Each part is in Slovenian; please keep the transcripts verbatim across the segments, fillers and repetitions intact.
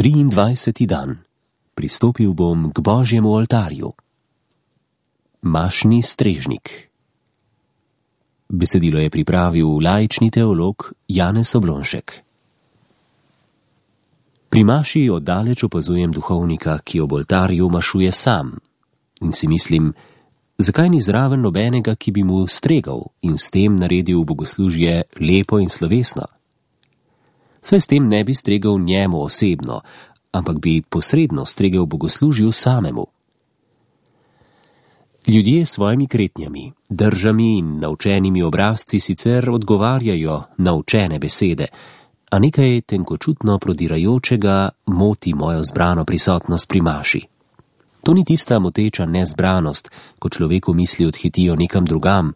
triindvajseti dan. Pristopil bom k Božjemu oltarju. Mašni strežnik. Besedilo je pripravil laični teolog Janez Oblonšek. Pri maši oddaleč opazujem duhovnika, ki ob oltarju mašuje sam, in si mislim, zakaj ni zraven nobenega, ki bi mu stregal in s tem naredil bogoslužje lepo in slovesno. Saj s tem ne bi stregal njemu osebno, ampak bi posredno stregel bogoslužju samemu. Ljudje s svojimi kretnjami, držami in naučenimi obrazci sicer odgovarjajo na učene besede, a nekaj tenkočutno prodirajočega moti mojo zbrano prisotnost pri maši. To ni tista moteča nezbranost, ko človeku misli odhitijo nekam drugam,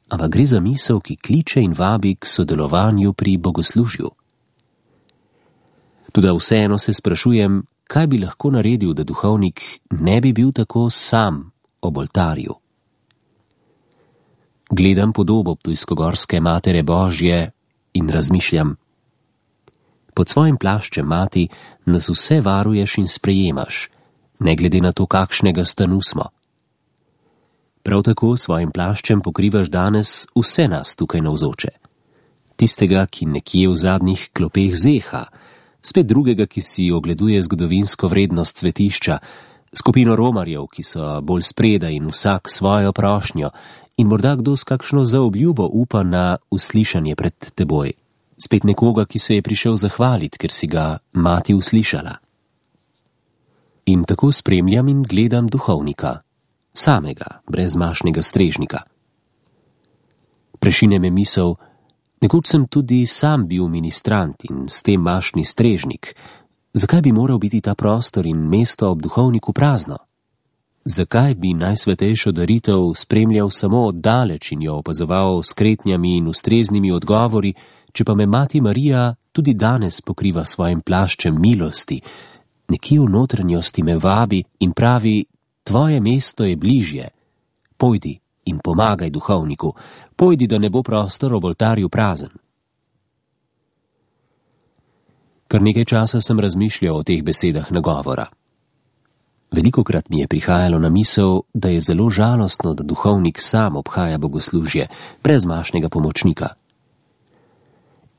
ampak gre za misel, ki kliče in vabi k sodelovanju pri bogoslužju. Toda vseeno se sprašujem, kaj bi lahko naredil, da duhovnik ne bi bil tako sam ob oltarju. Gledam podobo ptujskogorske Matere Božje in razmišljam, pod svojim plaščem, mati, nas vse varuješ in sprejemaš, ne glede na to, kakšnega stanu smo. Prav tako s svojim plaščem pokrivaš danes vse nas tukaj navzoče. Tistega, ki nekje v zadnjih klopeh zeha, spet drugega, ki si ogleduje zgodovinsko vrednost svetišča, skupino romarjev, ki so bolj spredaj in vsak svojo prošnjo, in morda kdo s kakšno zaobljubo upa na uslišanje pred teboj. Spet nekoga, ki se je prišel zahvaliti, ker si ga mati uslišala. In tako spremljam in gledam duhovnika, samega, brez mašnega strežnika. Prešine me misel, nekoč sem tudi sam bil ministrant in s tem mašni strežnik. Zakaj bi moral biti ta prostor in mesto ob duhovniku prazno? Zakaj bi najsvetejšo daritev spremljal samo oddaleč in jo opazoval s kretnjami in ustreznimi odgovori, če pa me mati Marija tudi danes pokriva svojim plaščem milosti, nekje v notranjosti me vabi in pravi, tvoje mesto je bližje, pojdi in pomagaj duhovniku, pojdi, da ne bo prostor ob oltarju prazen. Kar nekaj časa sem razmišljal o teh besedah nagovora. Velikokrat mi je prihajalo na misel, da je zelo žalostno, da duhovnik sam obhaja bogoslužje, brez mašnega pomočnika.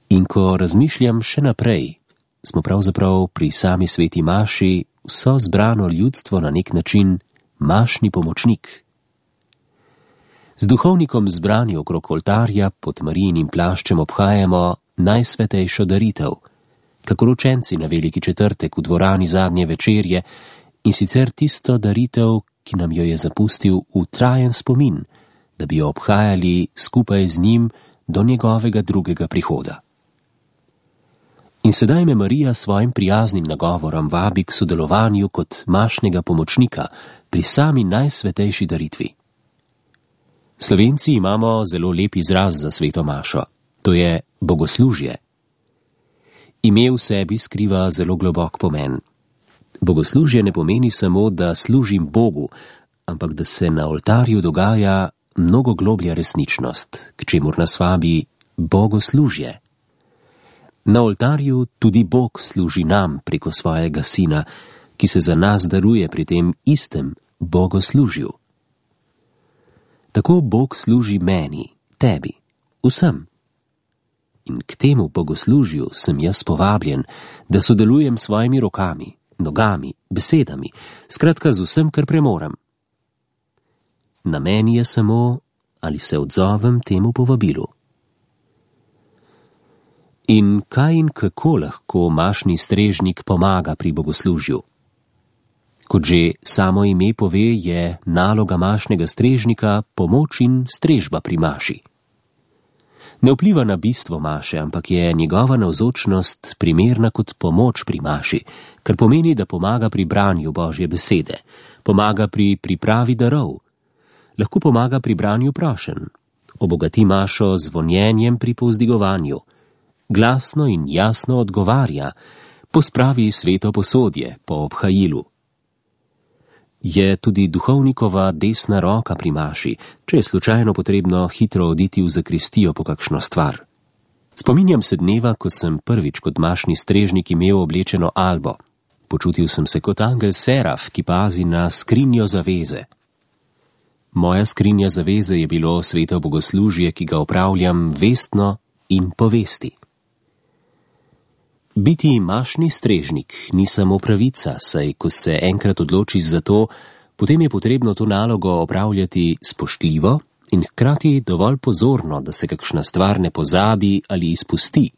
In ko razmišljam še naprej, smo pravzaprav pri sami sveti maši vso zbrano ljudstvo na nek način mašni pomočnik. Z duhovnikom zbrani okrog oltarja pod Marijinim plaščem obhajamo najsvetejšo daritev, kakor učenci na veliki četrtek v dvorani zadnje večerje, in sicer tisto daritev, ki nam jo je zapustil v trajen spomin, da bi jo obhajali skupaj z njim do njegovega drugega prihoda. In sedaj me Marija svojim prijaznim nagovorom vabi k sodelovanju kot mašnega pomočnika pri sami najsvetejši daritvi. Slovenci imamo zelo lep izraz za sveto mašo, to je bogoslužje. Ime v sebi skriva zelo globok pomen. Bogoslužje ne pomeni samo, da služim Bogu, ampak da se na oltarju dogaja mnogo globlja resničnost, k čemur nas vabi bogoslužje. Na oltarju tudi Bog služi nam preko svojega Sina, ki se za nas daruje pri tem istem bogoslužju. Tako Bog služi meni, tebi, vsem. In k temu bogoslužju sem jaz povabljen, da sodelujem s svojimi rokami, nogami, besedami, skratka z vsem, kar premorem. Na meni je samo, ali se odzovem temu povabilu. In kaj in kako lahko mašni strežnik pomaga pri bogoslužju? Kot že samo ime pove, je naloga mašnega strežnika pomoč in strežba pri maši. Ne vpliva na bistvo maše, ampak je njegova navzočnost primerna kot pomoč pri maši, kar pomeni, da pomaga pri branju Božje besede, pomaga pri pripravi darov, lahko pomaga pri branju prošenj, obogati mašo z vonjenjem pri povzdigovanju, glasno in jasno odgovarja, pospravi sveto posodje po obhajilu. Je tudi duhovnikova desna roka pri maši, če je slučajno potrebno hitro oditi v zakristijo po kakšno stvar. Spominjam se dneva, ko sem prvič kot mašni strežnik imel oblečeno albo. Počutil sem se kot angel seraf, ki pazi na skrinjo zaveze. Moja skrinja zaveze je bilo sveto bogoslužje, ki ga opravljam vestno in po vesti. Biti mašni strežnik ni samo pravica, saj ko se enkrat odločiš za to, potem je potrebno to nalogo opravljati spoštljivo in hkrati dovolj pozorno, da se kakšna stvar ne pozabi ali izpusti.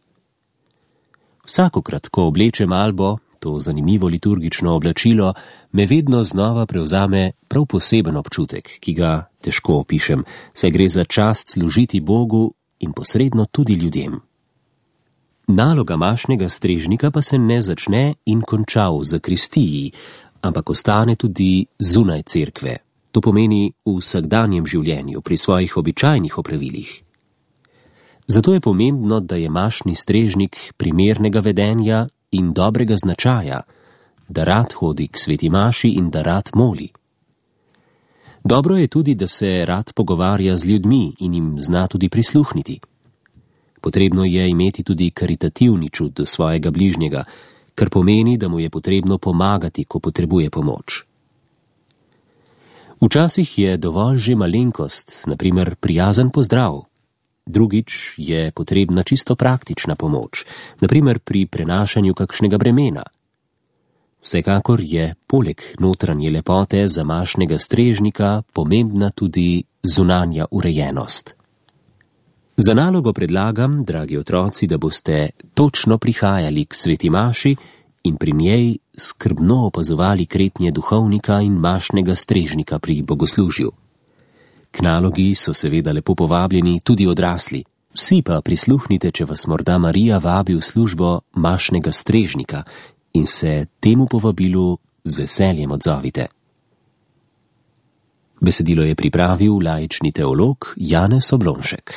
Vsakokrat, ko oblečem albo, to zanimivo liturgično oblačilo, me vedno znova prevzame prav poseben občutek, ki ga težko opišem, saj gre za čast služiti Bogu in posredno tudi ljudem. Naloga mašnega strežnika pa se ne začne in konča v zakristiji, ampak ostane tudi zunaj cerkve. To pomeni v vsakdanjem življenju, pri svojih običajnih opravilih. Zato je pomembno, da je mašni strežnik primernega vedenja in dobrega značaja, da rad hodi k sveti maši in da rad moli. Dobro je tudi, da se rad pogovarja z ljudmi in jim zna tudi prisluhniti. Potrebno je imeti tudi karitativni čut do svojega bližnjega, kar pomeni, da mu je potrebno pomagati, ko potrebuje pomoč. Včasih je dovolj že malenkost, na primer prijazen pozdrav. Drugič je potrebna čisto praktična pomoč, na primer pri prenašanju kakšnega bremena. Vsekakor je poleg notranje lepote za mašnega strežnika pomembna tudi zunanja urejenost. Za nalogo predlagam, dragi otroci, da boste točno prihajali k sveti maši in pri njej skrbno opazovali kretnje duhovnika in mašnega strežnika pri bogoslužju. K nalogi so seveda lepo povabljeni tudi odrasli. Vsi pa prisluhnite, če vas morda Marija vabi v službo mašnega strežnika in se temu povabilu z veseljem odzovite. Besedilo je pripravil laični teolog Janez Oblonšek.